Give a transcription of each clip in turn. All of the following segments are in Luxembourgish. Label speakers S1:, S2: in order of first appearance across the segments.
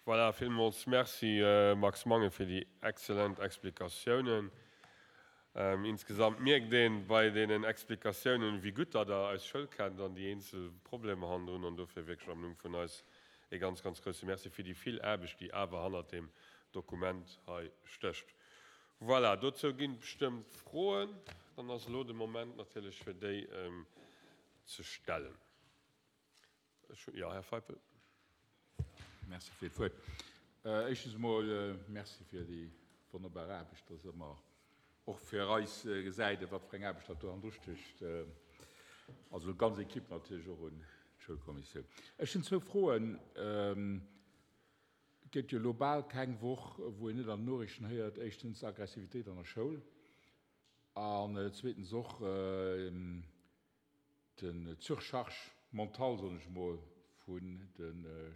S1: Voilà, villmools Merci Max Mangen fir déi excellent Explikatiounen. Insgesamt mierkt een bei deenen Explikatiounen, wéi gutt datt Der eis Schoul kennt an déi eenzel Problemer hannendrun. An dofir wierklech am Numm vun eis ee ganz, ganz grousse Merci fir déi vill Aarbecht, déi awer hannert deem Dokument hei stécht. Voilà, dozou ginn et bestëmmt Froen. Dann ass elo de Moment natierlech fir déi ze stellen. Ech hunn, jo, Här Feipel.
S2: Merci fir d'Wuert. Éischtens emol Merci fir déi wonnerbar Aarbecht, dass ëmmer och fir eis gesäit, wat fir eng Aarbecht dat do hannendru stécht. Also d'ganz Equipe natierlech och un d'Schoulkommissioun. Ech hunn zwou Froen. Et gëtt jo elo bal keng Woch, wou een net an den Noriichten héiert, éischtens Aggressivitéit an der Schoul an zweetens och, Den Surcharge mentale, soen ech emol, vun de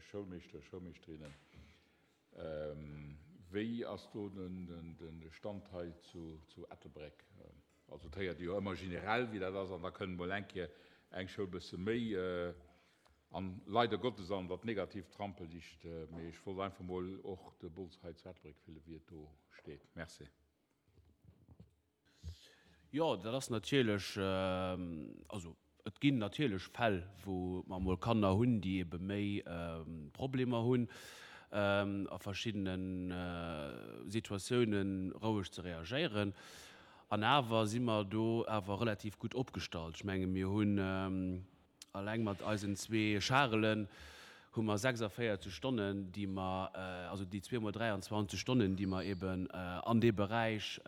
S2: Schoulmeeschter, Schoulmeeschterinnen, wéi ass do de Stand hei zu Ettelbréck? Also et héiert ee jo ëmmer generell, wéi dat ass, an da kënnt emol eng Kéier eng Schoul e bësse méi an, leider Gottes, an dat negatiivt Rampenlicht. Mee ech wollt einfach emol och de Bols hei zu Ettelbréck fillen, wéi et do steet. Merci.
S3: Jo, dat ass natierlech, also et ginn natierlech Fäll, wou mer emol Kanner hunn, déi ebe méi Problemer hunn, a verschiddene Situatiounen roueg ze reagéieren. An awer si mer do awer relativ gutt opgestallt. Ech menge mir hunn Alleng mat eisen zwee Charelen hu mer 46 Stonnen, déi mer, also déi zweemol 23 Stonnen, déi mer eben an dee Beräich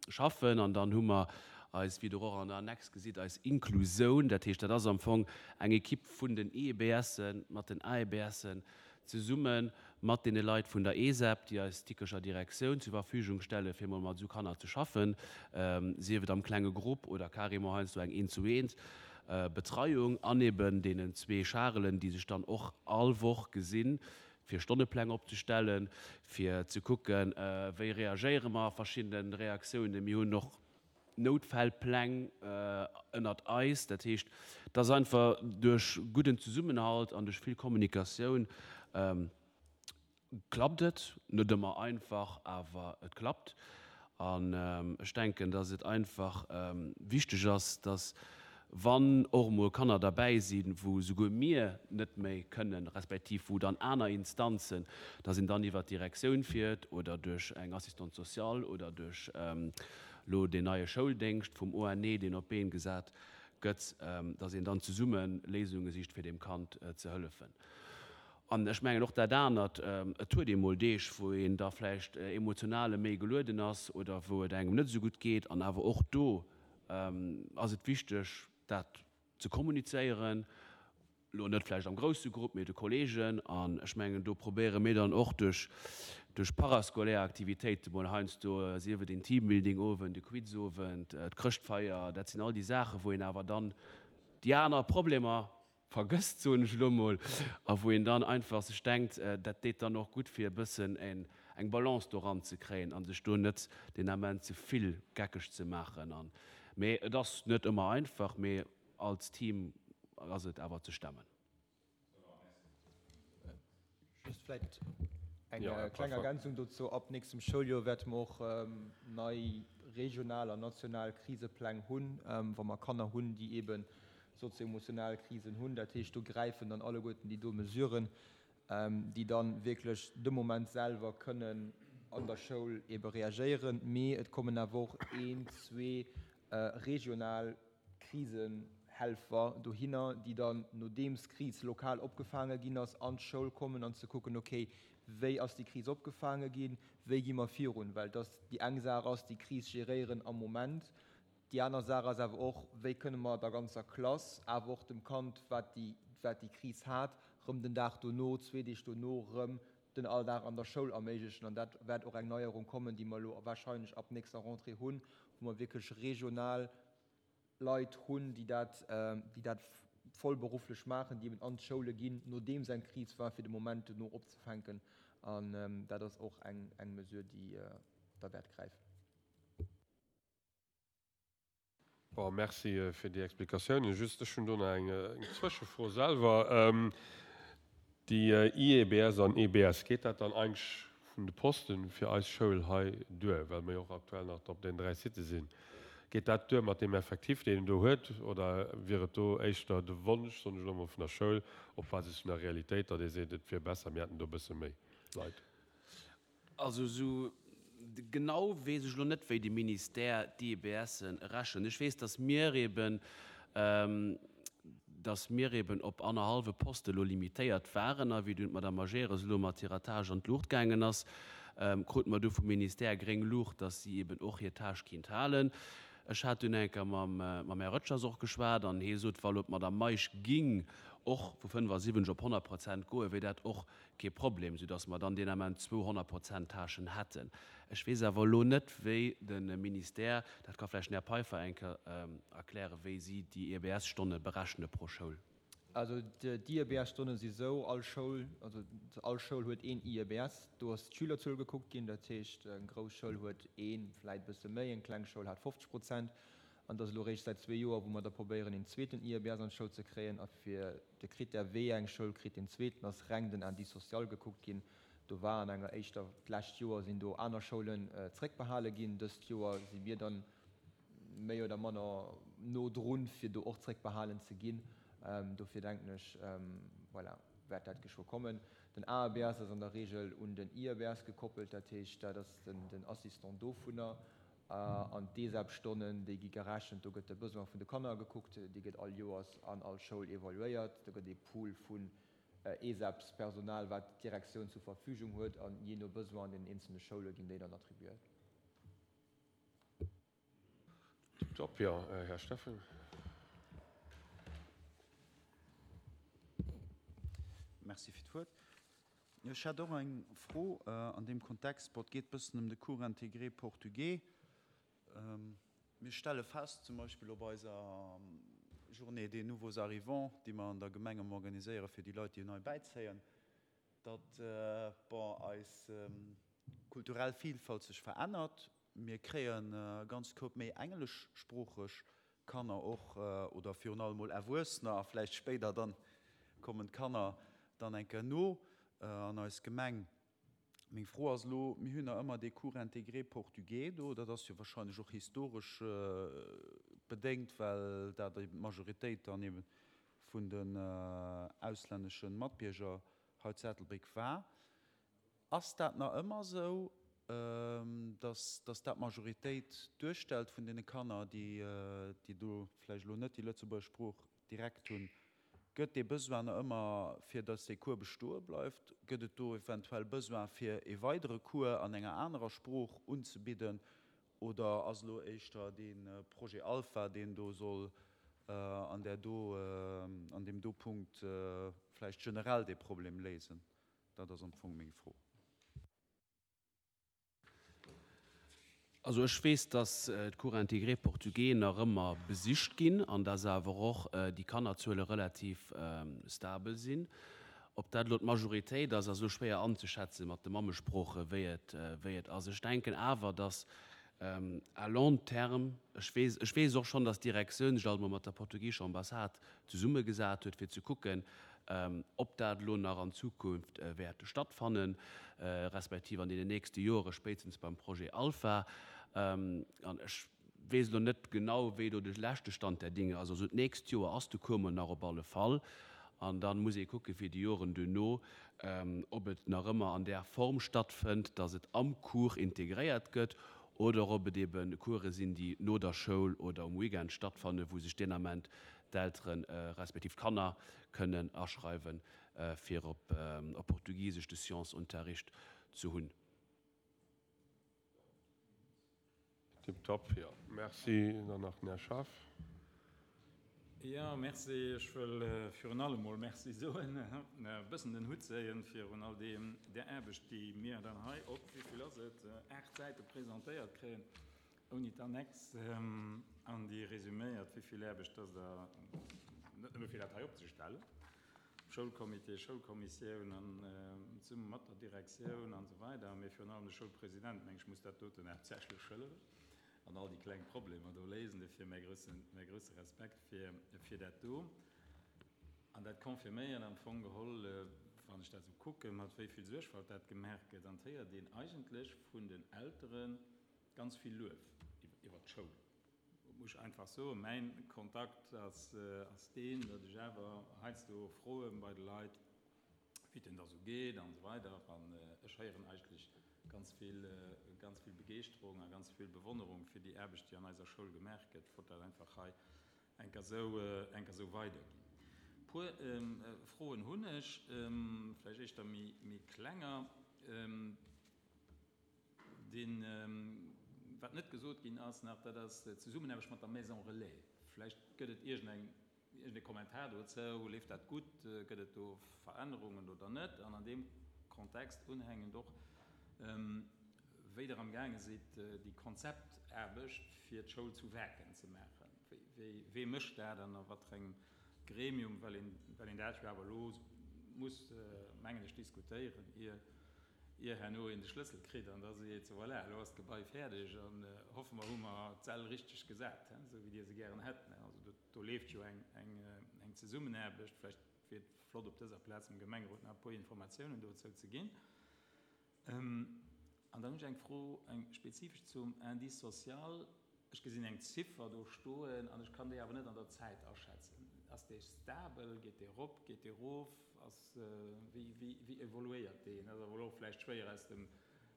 S3: schaffen. An dann hu mer eis, wéi Der och an der Annex gesitt, eis Inklusoun, dat heescht, dat ass am Fong eng Ekipp vun den IEBSen mat den AEBSen zesumme mat deene Leit vun der ESEP, déi eis d'Dikecher Direktioun zur Verfügung stelle fir mol mat esou Kanner ze schaffen, sief et am klenge Grupp oder carrément heiansdo eng Eent-zu-eent Betreiung, an eben deenen zwee Charelen, déi sech dann och all Woch gesinn, fir Stonnepläng opzestellen, fir ze kucken, wéi reagéiere mer a verschiddene Reaktiounen. Mir hunn och Noutfällpläng ënnert eis. Dat heescht, et ass einfach duerch gudden Zesummenhalt an duerch vill Kommunikatioun klappt et. Net ëmmer einfach, awer et klappt. An ech denken, dass et einfach wichteg ass, dass wann och emol Kanner derbäi sinn, wou souguer mir net méi kënnen, respektiv wou dann aner Instanzen, dass een dann iwwert d'Direktioun fiert oder duerch eng Assistante sociale oder duerch elo deen neie Schouldéngscht vum ONE, deen op d'Been gesat gëtt, dass een dann zesumme Léisunge sicht, fir deem Kand ze hëllefen. An ech mengen och dat anert, et huet ee mol Deeg, wou een da vläicht emotionale méi gelueden ass oder wou et engem net esou gutt geet. An awer och do ass et wichteg, dat ze kommunizéieren, elo net vläicht am grousse Grupp, mee de Kolleegen. An ech mengen, do probéiere mir dann och duerch duerch parascolaire Aktivitéite mol heiansdo, sief et een Teambuilding-Owend, e Quizowend, d'Chrëschtfeier, dat sinn all déi Saachen, wou een awer dann déi aner Problemer vergësst, soen ech elo mol, a wou een dann einfach sech denkt, dat deet dann och gutt, fir e bëssen eng Balance do eranzekréien a sech do net deen Ament ze vill geckeg ze maachen. An, mee et ass net ëmmer einfach, mee als Team ass et awer ze stemmen.
S4: Just vläicht eng kleng Ergänzung dozou, Ab nächstem Schouljoer wäerte mer och nei regional an national Krisepläng hunn, wa mer Kanner hunn, déi eebe sozio-emotional Krisen hunn. Dat heescht, do gräifen dann alleguerten déi do Mesuren, déi dann wierklech de Moment selwer kënnen an der Schoul ebe reagéieren. Mee et kommen awer och een, zwee regional Krisenhelfer dohinner, déi dann, nodeems d'Kris lokal opgefaange ginn ass, an d'Schoul kommen an ze kucken, okay, wéi ass déi Kris opgefaange ginn, wéi gi mer virun? Well dass déi eng Saach ass, déi Kris geréieren am Moment, Déi aner Saach ass awer och, wéi kënne mer der ganzer Klass, awer och dem Kand, wat déi, wat déi Kris hat, rëm den Dag dono, zwee Deeg dono rëm den Alldag an der Schoul erméiglechen. An dat wäert och eng Neierung kommen, déi mer elo wahrscheinlech ab nächster Rentrée hunn, wou mer wierklech regional Leit hunn, déi dat, déi dat vollberufflech maachen, déi eben an d'Schoule ginn, nodeems eng Kris war, fir de Moment dono opzefänken. An dat ass och eng, eng Mesure, déi da wäert gräifen.
S1: Bon, merci fir déi Explikatiounen. Just, ech hunn do nach eng Zwëschefro selwer. Déi IEBS an EBS, geet dat dann eigentlech vun de Posten fir eis Schoul hei duer, well mer jo och aktuell nach op den 3 Sitë sinn? Geet dat duer mat deem Effectif, deen een do huet, oder wier et do éischter de Wonsch, soen ech elo emol, vun der Schoul op Basis vun der Realitéit, datt ee seet, et wier besser, mir hätten do e bësse méi Leit?
S3: Also esou genau weess ech elo net, wéi de Ministère d'IEBSen rechent. Ech weess, datt mir eben, datt mir eben op annerhallwe Poste elo limitéiert waren. A wéi dunn d'Madame Majerus elo mat hirer Tâche an d'Luucht gaangen ass, krute mer du vum Ministère gréng Luucht, datt si eben och hir Tâche kinnt halen. Ech hat dunn eng Kéier mam, mam Här Röttgers och geschwat an hie sot, wa elo d'Madame Meisch ging och vu 75 op 100 Prozent goen, wier dat och Kee Problem, soudass mer dann deen Ament zwou 100 Prozent Tâchen hätten. Ech weess awer elo net, wéi de Ministère, dat ka vläicht den Här Peiffer eng Kéier erklären, wéi si déi EBS-Stonne berechne pro Schoul.
S4: Also d'IEBS-Stonne si sou, all Schoul, also all Schoul huet een IEBS. Do ass d'Schülerzuel gekuckt ginn, dat heescht eng grouss Schoul huet een, vläit e bësse méi, eng kleng Schoul hat 50 Prozent. An et ass elo réischt säit zwee Joer, wou mer da probéieren, een zweeten IEBS an d'Schoul ze kréien. A fir De Critère wéi eng Schoul kritt deen zweeten ass reng den Indice social gekuckt ginn. Do war an enger éischter, d'lescht Joer sinn do aner Schoulen zréckbehale ginn. Dëst Joer si mir dann méi oder manner no drun, fir do och zréckbehalen ze ginn. Dofir denken ech, voilà, wäert dat geschwë kommen. Den AEBS ass an der Regel un den IEBS gekoppelt, dat heescht, dat ass den Assistant dovunner. An d'ESEP-Stonnen, déi gi gerechent, do gëtt de Besoin vun de Kanner gekuckt, déi gëtt all Joers an all Schoul evaluéiert. Do gëtt ee Pool vun ESEPs-Personal, wat d'Direktioun zur Verfügung huet, an jee no Besoin an den eenzelne Schoule ginn déi dann attribuéiert.
S1: Tiptop, jo, Här Steffen.
S5: Merci fir d'Wuert. Ech hätt och eng Fro an deem Kontext. Bon, et geet e bëssen ëm de Cours intégré portugais. Mir stelle fest, zum Beispill op eiser Journée des nouveaux arrivants, déi mer an der Gemeng ëmmer organiséiere fir déi Leit, déi nei bäizéien, datt, bon, eis kulturell Vielfalt sech verännert. Mir kréien e ganz Koup méi engleschsproocheg Kanner och, oder virun allem mol Erwuessener, a vläicht spéider dann kommen d'Kanner dann eng Kéier no an eis Gemeng. Meng Fro ass elo, mir hunn nach ëmmer dee Cours intégré portugais do, dat ass jo wahrscheinlech och historesch bedéngt, well dat eben d'Majoritéit dann eben vun den auslännesche Matbierger hei zu Ettelbréck war. Ass dat nach ëmmer esou, dass dass dat d'Majoritéit duerstellt vun deene Kanner, déi déi do vläicht elo net déi Lëtzebuerger Sprooch direkt hunn? Gëtt dee Besoin nach ëmmer, fir dass dee Cours bestoe bleift? Gëtt et do eventuell Besoin, fir ee weidere Cours an enger anerer Sprooch unzebidden? Oder ass elo éischter dee Projet Alpha, deen do soll an där do, an deem do Punkt vläicht generell dee Problem léisen? Dat ass am Fong meng Fro.
S3: Also ech weess, dass d'Cours intégrés portugais nach ëmmer besicht ginn an dass awer och déi Kannerzuele relativ stabel sinn. Ob dat elo d'Majoritéit ass, ass elo schwéier anzeschätzen mat de Mammesprooche wéi et wéi et ass. Ech denken awer, dass à long terme, ech weess ech weess och schonn, dass d'Direktioun sech alt emol mat der portugiescher Ambassade zesummegesat huet, fir ze kucken, ob dat elo nach an Zukunft wäert stattfannen, respektiv an deenen nächste Jore spéitstens beim Projet Alpha. An ech weess elo net genau, wéi do de leschte Stand der Dinge ass. Also d'nächst Joer ass de Cours mol nach op alle Fall. An da muss ee kucke fir déi Joren duerno, ob et nach ëmmer an där Form stattfënnt, datt et am Cours integréiert gëtt, oder ob et ebe Course sinn, déi no der Schoul oder um Weekend stattfannen, wou sech deen Ament d'Eltere respektiv d'Kanner kënnen aschreiwen, fir op Portugisesch de Sciencesunterricht ze hunn.
S1: Tiptop, jo. Merci. Dann nach den Här Schaaf.
S6: Jo, merci. Ech wëll virun allem mol Merci soen, e bëssen den Hutt zéien virun all deem, där Aarbecht, déi mir dann hei op, wéi vill ass et, aacht Säite presentéiert kréien. Ouni d'Annex an déi resuméiert, wéi vill Aarbecht dass Der, net nëmme fir dat hei opzestellen, Schoulcomité, Schoulkommissioun an zesumme mat der Direktioun an esou weider, mee virun allem de Schoulpresident, meng ech, muss dat doten haaptsächlech schëlleren an all déi kleng Problemer do léisen. Dofir mäi grousse, mäi grousse Respekt fir, fir dat do. An dat confirméiert am Fong geholl. Wann ech dat esou kucken, mat wéi vill Suergfalt dat gemaach gëtt, an et héiert een eigentlech vun den Eltere ganz vill Luef iwwert d'Schoul. Muss ech einfach soen, mäin Kontakt ass deen, datt ech awer heiansdo froe bei de Leit, wéi et denn da sou geet an esou weider. An ech héieren eigentlech ganz vill, ganz vill Begeeschterung a ganz vill Bewonnerung fir déi Aarbecht, déi an eiser Schoul gemaach gëtt. Ech wollt dat einfach hei eng Kéier sou, eng Kéier sou weiderginn. E puer Froen hunn ech, vläicht éischter méi, méi klenger. Deen, wat net gesot ginn ass nach, dat ass d'Zesummenaarbecht mat der Maison Relais. Vläicht gëtt et iergendeng, iergendee Kommentar dozou. Leeft dat gutt? Gëtt et do Verännerungen oder net? An an deem Kontext unhängend och, wéi Der amgaange sidd, déi Konzeptaarbecht fir d'Schoul zu Waarken ze maachen. Wéi, wee mécht dat an a wat fir engem Gremium? Well een, well een dat jo awer elo muss, mengen ech, diskutéieren, ier, ier herno een de Schlëssel kritt an da seet, sou voilà, elo ass d'Gebai fäerdeg an hoffe mer hu mer d'Säll richteg gesat, esou wéi Dir se gären hätt. Also do, do leeft jo eng, eng, eng Zesummenaarbecht. Vläicht wier et flott op dëser Plaz dem Gemengerot nach e puer Informatiounen dozou ze ginn. An dann hunn ech eng Fro, eng spezifesch zum Indice social. Ech gesinn eng Ziffer do stoen an ech kann déi awer net an der Zäit aschätzen. Ass dee stabel? Geet dee erop? Geet dee erof? Ass, wéi, wéi, wéi evoluéiert deen? Dat ass awer elo och vläicht schwéier aus dem,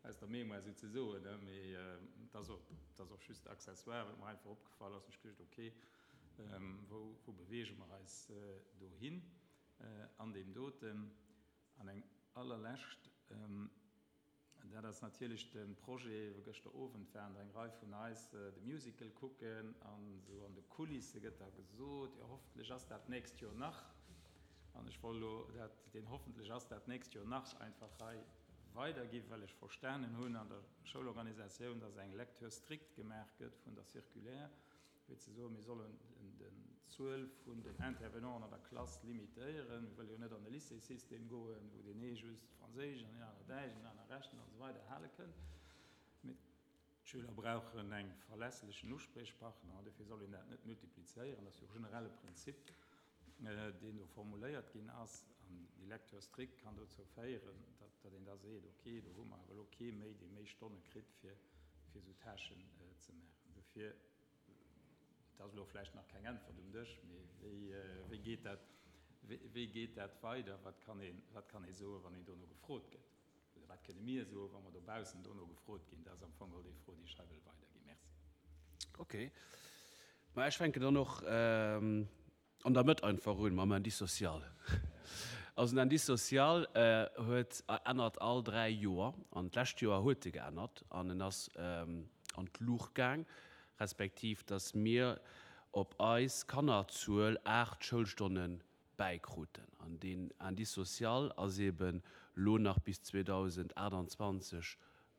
S6: aus der Mémoire esou ze soen, mee et ass och, et ass och just accessoire, wat mer einfach opgefall ass. Ech geduecht, okay, wou, wou beweege mer eis dohin an deem doten? An eng allerlescht, dat ass natierlech de Projet, wou gëschter Owend waren der eng Rei vun eis de Musical kucken an esou an de Kulisse gëtt da gesot, jo hoffentlech ass dat d'nächst Joer nach. An ech wollt elo dat, deen hoffentlech ass dat d'nächst Joer nach einfach hei weiderginn, well ech verstanen hunn an der Schoulorganisatioun, dass eng Lecture stricte gemaach gëtt vun der Circulaire, Fir ze soen, mir sollen d'Zuel vun den Intervenanten an der Klass limitéieren. Mir wëlle jo net an e Lycéessystem goen, wou deen ee just Franséisch an deen aner Däitsch an deen aner Rechnen an esou weider hale kënnt. Mee d'Schüler brauchen eng verlässlechen Uspriechpartner an dofir soll een dat net multiplizéieren. Dat ass jo e generelle Prinzip, deen do formuléiert ginn ass. An déi Lecture stricte kann dozou féieren, datt een da seet, okay, do hu mer awer elo kee méi, dee méi Stonne kritt, fir esou Tâchen ze maachen. Dofir Et ass elo vläicht nach keng Äntwert um Dësch, mee wéi geet dat, wéi geet dat weider? Wat kann een, wat kann ee soen, wann een dono gefrot gëtt? Oder wat kënne mir soen, wa mer dobaussen dono gefrot ginn? Dat ass am Fong geholl déi Fro, déi ech hei wëll weiderginn. Merci.
S3: Okay. Ma ech fänken dann och An der Mëtt einfach un mam Indice social. Also den Indice social huet ännert all 3 Joer an d'lescht Joer huet e geännert an en ass an d'Luucht gaang, respektiv datt mir op eis Kannerzuel 8 Schoulstonne bäikruten. An deen Indice social ass eeben lo nach bis 2028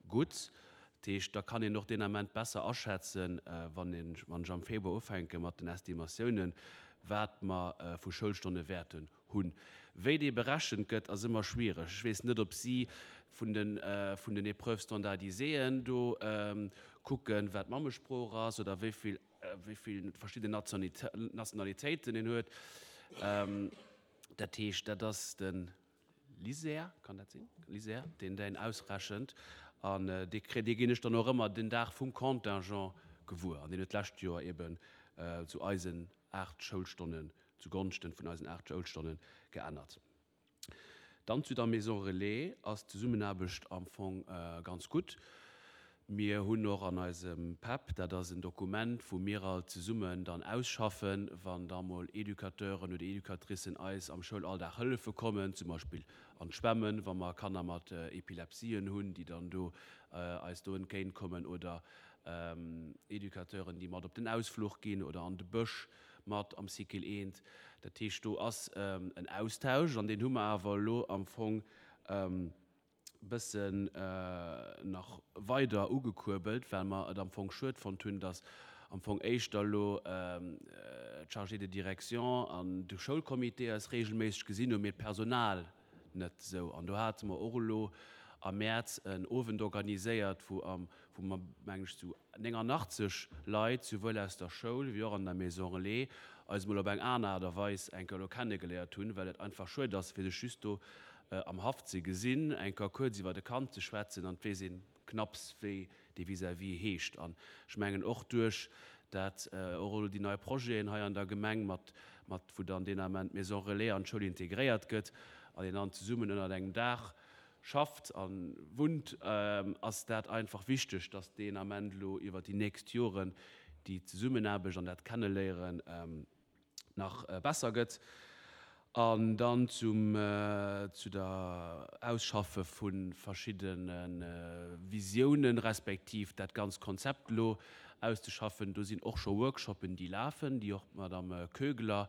S3: Gutt, dat heescht, da kann een och deen Ament besser aschätzen, wann een, wann ech am Februar ufänke mat den Estimatiounen, wat mer vu Schoulstonne wäerten hunn. Wéi dee berechent gëtt, ass ëmmer schwiereg. Ech weess net, ob si vun den, vun den Épreuves standardiséeën do kucken, wat d'Mammesprooch ass oder wéi vill, wéi vill verschidden Nationalitéiten een huet. Dat heescht, dat ass de LISER, kann dat sinn? LISER, deen däin ausrechent an dee kréit, dee ginn ech dann och ëmmer den Dag vum Contingent gewuer an deen huet d'lescht Joer eben zu eisen 8 Schoulstonnen, zu Gonschten vun eisen 8 Schoulstonnen geännert. Dann zu der Maison Relais ass d'Zesummenaarbecht am Fong ganz gutt. Mir hunn och an eisem PEP, dat ass en Dokument, wou mir all zesummen dann ausschaffen, wann da mol Educateuren oder Educatricen eis am Schoulalldag hëllefe kommen, zum Beispill an d'Schwämmen, wa mer Kanner mat Epilepsien hunn, déi dann do eis do entgéint kommen, oder Educateuren, déi mat op den Ausfluch ginn oder an de Bësch mat am Cycle eent. Dat heescht, do ass en Austausch an deen hu mer awer elo am Fong, bëssen nach weider ugekuerbelt, well mer et am Fong schued fonnt hunn, datt am Fong éischter elo d'Chargés de direction an de Schoulcomité eis regelméisseg gesinn hunn, mee d'Personal net esou. An do hate mer och elo am Mäerz en Owend organiséiert, wou am, wou mer, mengen ech, zu 89 Leit, souwuel aus der Schoul wéi och an der Maison Relais, eis emol op eng aner Aart a Weis eng Kéier elo kennegeléiert hunn, well et einfach schued ass, fir sech just do. am Haff ze gesinn, eng Kéier kuerz iwwert e Kand ze schwätzen an et weess een knapps wéi dee vis-à-vis heescht. An ech mengen och duerch dat och elo déi nei Projeten hei an der Gemeng mat, mat wou dann deen Ament d'Maison Relais an d'Schoul integréiert gëtt an een dann zesummen ënnert engem Daach schafft a wunnt, ass dat einfach wichteg, dass deen Ament elo iwwert déi nächst Joren déi Zesummenaarbecht an dat Kenneléieren nach besser gëtt. An dann zum, zu der Ausschaffe vu verschiddene Visiounen, respektiv dat ganzt Konzept elo auszeschaffen. Do sinn och scho Workshoppen, déi lafen, déi och d'Madame Koegler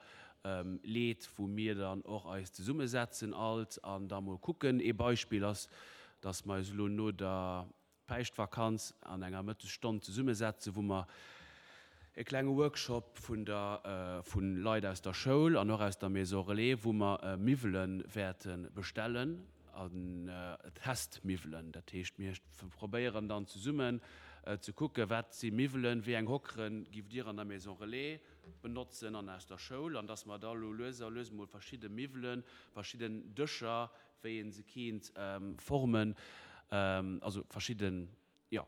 S3: leet, wou mir dann och eis zesummesetzen alt an da mol kucken. Ee Beispill ass, dass mer eis elo no der Päischtvakanz an enger Mëttesstonn zesummesetzen, wou mer e klenge Workshop vun der, vu Leit aus der Schoul an och aus der Maison Relais, wou mer Miwwele wäerte bestellen an Testmiwwelen. Dat heescht, mir probéieren dann zesummen ze kucken, wat si Miwwelen, wéi eng Hockere giff Dir an der Maison Relais benotzen an aus der Schoul, an dass mer da elo lues a lues emol verschidde Miwwelen, verschidden Dëscher, wéi ee se kéint formen, also verschidden, jo,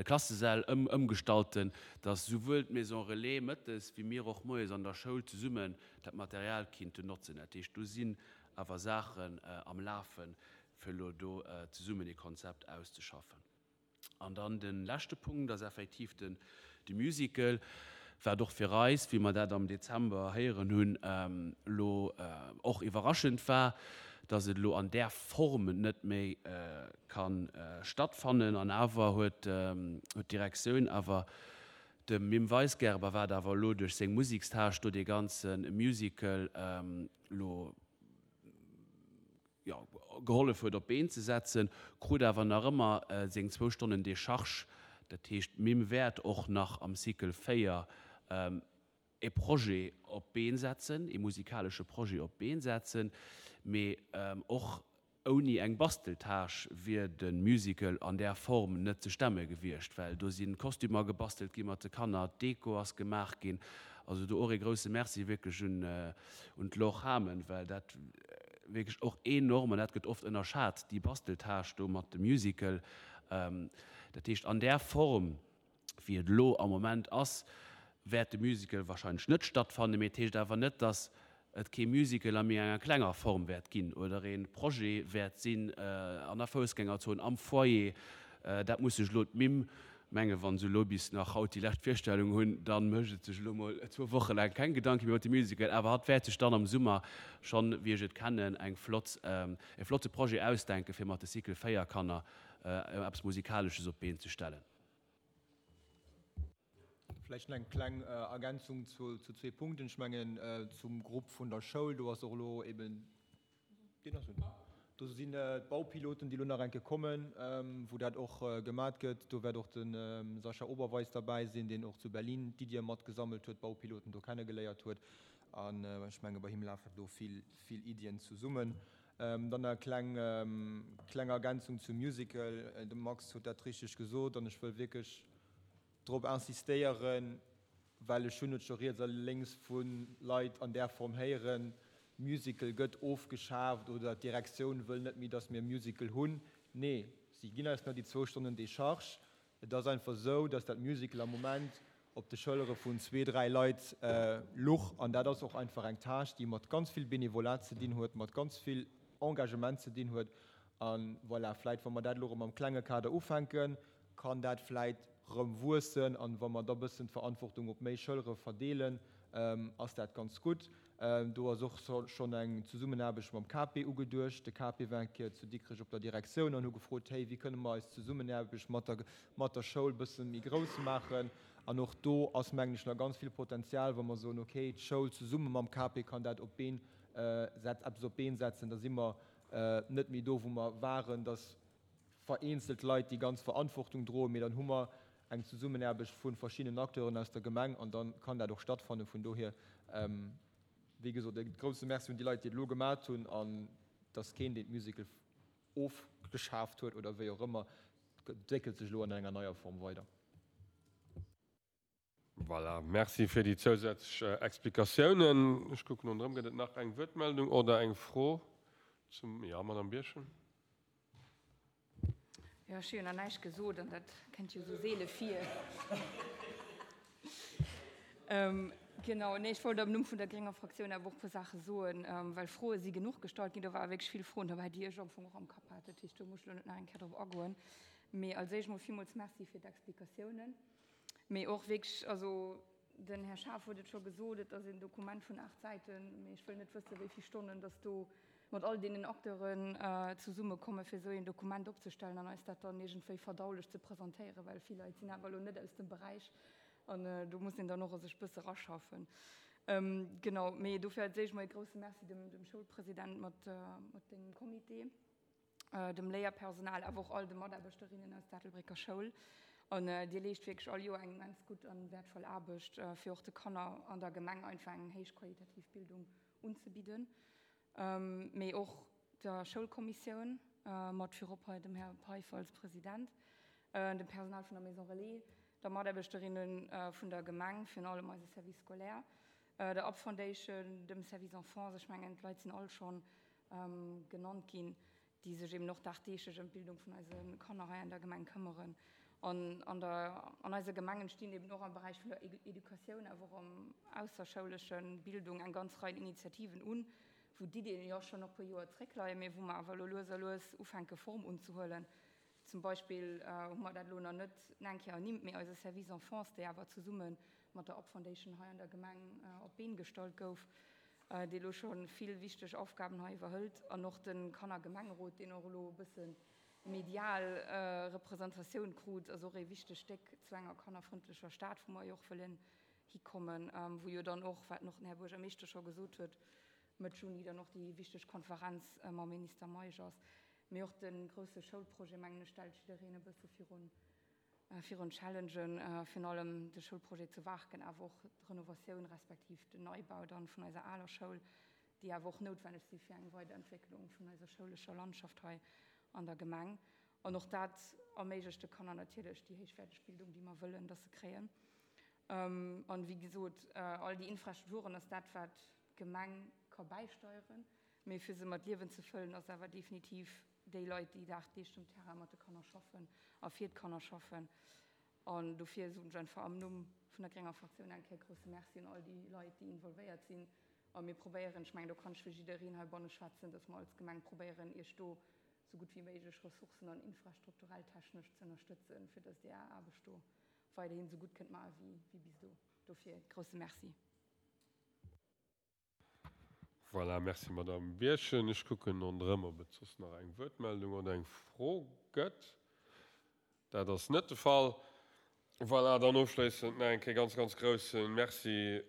S3: Klassesäll ëmgestalten, dass souwuel d'Maison Relais mëttes wéi mir och moies an der Schoul zesummen dat Material kinnten notzen. Dat heescht, do sinn awer Saachen am Lafen, fir elo do zesummen ee Konzept auszeschaffen. An dann de leschte Punkt ass effektiv den de Musical, wat och fir eis, wéi mer dat am Dezember héieren hunn, elo och iwwerraschend war, dass et elo an där Form net méi ka stattfannen. An awer huet d'Direktioun awer dem Mim Weisgerber, wat awer elo duerch seng Musikstâche do dee ganze Musical elo, jo, gehollef huet op d'Been ze setzen, krut awer nach ëmmer seng zwou Stonnen Decharge. Dat heescht, d'Mim wäert och nach am Cycle 4 e Projet op d'Been setzen, e musikalesche Projet op d'Been setzen, mee och ouni eng Basteltâche wier de Musical an där Form net ze stemme gewiescht, well do si Kostümer gebastelt gi mat de Kanner, d'Deko ass gemaach ginn. Also do och ee grousse Merci wierklech un un d'Laure Hamen, well dat wierklech och enorm, an dat gëtt oft ënnerschat, déi Basteltâche do mat dem Musical, dat heescht an där Form, wéi et elo am Moment ass, wäert de Musical wahrscheinlech net stattfannen, mee et heescht awer net, dass et kee Musical a méi enger klenger Form wäert ginn oder ee Projet wäert sinn an der Foussgängerzon, am Foyer. Dat muss sech elo d'Mimm Mengen, wann se elo bis nach haut déi lescht Virstellung hunn, dann mécht et sech elo mol zwou Woche laang keng Gedanke méi iwwer de Musical, awer hatt wäert sech dann am Summer schonn, wéi ech et kennen, eng flott, e flotte Projet ausdenken, fir mat de Cycle 4 Kanner eppes Musikalesches op d'Been ze stellen.
S4: Vläicht nach eng kleng Ergänzung zu zwee Punkten. Ech mengen, zum Grupp vun der Schoul, do ass och elo eben, Deen ass un. Do sinn d'Baupiloten, déi elo nach eng Kéier kommen, wou dat och gemat gëtt. Do wäert och de Sascha Oberweis derbäi sinn, deen och zu Berlin d'Iddie mat gesammelt huet, d'Baupiloten do kennegeléiert huet. An ech menge bei him lafen do vill, vill Iddien zesummen. Dann nach eng kleng, kleng Ergänzung zum Musical. De Max huet dat richteg gesot an ech wëll wierklech drop insistéieren, well ech hunn et scho riets a lénks vu Leit an där Form héieren, Musical gëtt ofgeschaaft oder d'Direktioun wëll net méi, datt mir e Musical hunn. Nee, si ginn eis nach déi zwou Stonnen Décharge. Et ass einfach esou, datt dat Musical am Moment op de Schëllere vun zwee, dräi Leit luch. An dat ass och einfach eng Tâche, déi mat ganz vill Bénévolat ze dinn huet, mat ganz vill Engagement ze dinn huet. A voilà, vläicht, wa mer dat elo erëm am klenge Kader ufänken, kann dat vläit rëm wuessen an wa mer da bëssen d'Verantwortung op méi Schëllere verdeelen, ass dat ganz gutt. Do ass och schonn eng Zesummenaarbecht mam KP ugeduecht. De KP war eng Kéier zu Dikrech op der Direktioun an hu gefrot, Hey, wéi kënne mer eis Zesummenaarbecht mat der mat der Schoul bësse méi grouss maachen? An och do ass, mengen ech, nach ganz vill Potenzial, wa mer soen, okay, d'Schoul zesumme mam KP kann dat op d'Been setz, eppes op d'Been setzen, da si mer net méi do, wou mer waren, dass vereenzelt Leit déi ganz Verantwortung droen, mee dann hu mer eng Zesummenaarbecht vu verschiddenen Acteuren aus der Gemeng an da kann dat och stattfannen. Vun dohier, wéi gesot, e grouse Merci un déi Leit, déi et elo gemat hunn an dass keen, deen d'Musical ofgeschaaft huet oder wéi och ëmmer, et entwéckelt sech elo an enger neier Form weider.
S1: Voilà, merci fir déi zousätzlech Explikatiounen. Ech kucken ronderëm, gëtt et nach eng Wuertmeldung oder eng Fro? Zum, jo, Madame Birchen.
S7: Jo, ech hu jo nach näischt gesot an dat kënnt jo esou seele vir. Genau, nee, ech wollt am Numm vun der grénger Fraktioun awer och e puer Saache soen, well Froe si genuch gestallt ginn. Do ware wierklech vill Froen dobäi, déi ech am Fong och am Kapp hat. Dat heescht, do muss ech elo net nach eng Kéier drop agoen. Mee als éischt mol villmools Merci fir d'Explikatiounen. Mee och wierklech, also den Här Schaaf huet et scho gesot, et ass een Dokument vun 8 Säiten, mee ech wëll net wëssen, wéi vill Stonnen dass do mat all deenen Acteuren zesummekommen, fir esou een Dokument opzestellen an eis dat dann iergendwéi verdaulech ze presentéieren, well vill Leit sinn awer elo net aus dem Beräich an do muss een dann och a sech e bësse raschaffen. Genau, mee dofir als éischt mol e grouse Merci dem Schoulpresident mat dengem Comité. dem Léierpersonal, awer och all de Mataarbechterinnen aus der Ettelbrécker Schoul. An Dir leescht wierklech all Joer eng immens gutt an wäertvoll Aarbecht, fir och de Kanner an der Gemeng einfach eng héichqualitativ Bildung unzebidden. Mee och der Schoulkommissioun, mat virop hei dem Här Peiffer als President, dem Personal vun der Maison Relais, der Mataarbechterinnen vun der Gemeng, virun allem eise Service scolaire, der Up Foundation, dem Service Enfance, ech mengen d'Leit sinn all schonn genannt ginn, déi sech eben och dagdeeglech ëm d'Bildung vun eise Kanner hei an der Gemeng këmmeren. An an der, an eiser Gemeng entstinn eben och am Beräich vun der Educatioun, awer och am ausserschouleschen Bildung eng ganz Rei Initiativen un, wou d'Iddien jo schonn och e puer Joer zréckleien, mee wou mer awer elo lues a lues ufänke Form unzehuelen. Zum Beispill hu mer dat elo nach net eng Kéier ernimmt, mee eise Service Enfance, dee awer zesumme mat der Up Foundation hei an der Gemeng op d'Been gestallt gouf, dee elo scho vill wichteg Aufgaben hei iwwerhëlt, an och de Kannergemengerot, deen och elo e bësse medial Representatioun krut, ass och ee wichteg Stéck zu enger kannerfrëndlecher Stad, wou mer jo och wëllen hikommen, wou jo dann och, wat och den Här Buergermeeschter scho gesot huet, Mëtt Juni dann och déi wichteg Konferenz mam Minister Meisch ass. Mee och de grousse Schoulprojet, mengen ech, stellt jiddereen e bësse virun virun Challengen, virun allem de Schoulprojet zu Waarken, awer och d'Renovatioun respektiv den Neibau dann vun eiser aler Schoul, déi awer och noutwenneg si fir eng Weiderentwécklung vun eiser schoulescher Landschaft hei an der Gemeng. An och dat erméiglecht de Kanner natierlech déi héichwäerteg Bildung, déi mer wëllen, dass se kréien. An, wéi gesot, all déi Infrastrukturen ass dat, wat d'Gemeng ka bäisteieren. Mee fir se mat Liewen ze fëllen, ass awer definitiv déi Leit, déi dagdeeglech um Terrain mat de Kanner schaffen a fir d'Kanner schaffen. An dofir soen ech einfach am Numm vun der grénger Fraktioun eng Kéier grousse Merci un all déi Leit, déi involvéiert sinn. A mir probéieren, ech mengen, do kann ech fir jiddereen heibanne schwätzen, dass mer als Gemeng probéieren, Iech do esou gutt wéi méiglech ressourcen an infrastrukturell technesch ze ënnerstëtzen, fir dass Dir Är Aarbecht do weiderhin esou gutt kënnt maache wéi bis elo. Dofir grousse Merci.
S1: Voilà, merci Madame Birchen. Ech kucken ronderëm, ob et soss nach eng Wuertmeldung oder eng Fro gëtt. Dat ass net de Fall. Voilà, dann ofschléissend nach eng Kéier ganz, ganz grousse Merci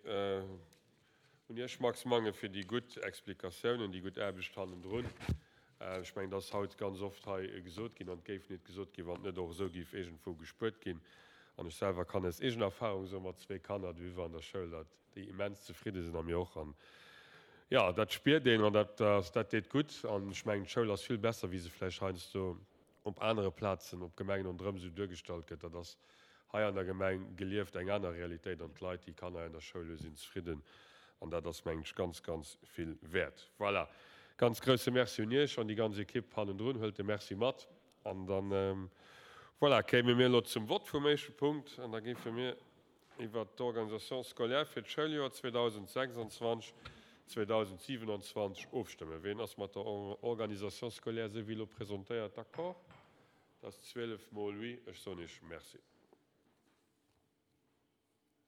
S1: un Iech, Max Mangen, fir déi gutt Explikatiounen, déi gutt Aarbecht hannendrun. Ech mengen, et ass haut ganz oft hei gesot ginn, an et géif net gesot ginn, wann et net och esou géif iergendwou gespuert ginn. An ech selwer kann aus eegener Erfahrung soen, mat zwee Kanner dohiwwer an der Schoul, dat déi immens zefridde sinn a mir och. An jo, dat spiert een an dat ass, dat deet gutt. An ech mengen, d'Schoul ass vill besser, wéi se vläicht heiansdo op anere Plazen, op Gemengen ronderëm esou duergestallt gëtt. Dat ass hei an der Gemeng gelieft eng aner Realitéit an d'Leit, déi Kanner an der Schoul hu sinn zefridden an dat ass, mengen ech, ganz, ganz vill wäert. Voilà, ganz grousse Merci un Iech an déi ganz Ekipp hannendrun. Huelt de Merci mat an dann, voilà, kéime mir elo zum Vott vum éischte Punkt an da géife mir iwwert d'Organisation scolaire fir d'Schouljoer 2026, 2027 ofstëmmen. Ween ass mat der Organisation scolaire, esou wéi elo presentéiert, d'accord? Dat ass 12 mol oui. Ech soen Iech Merci.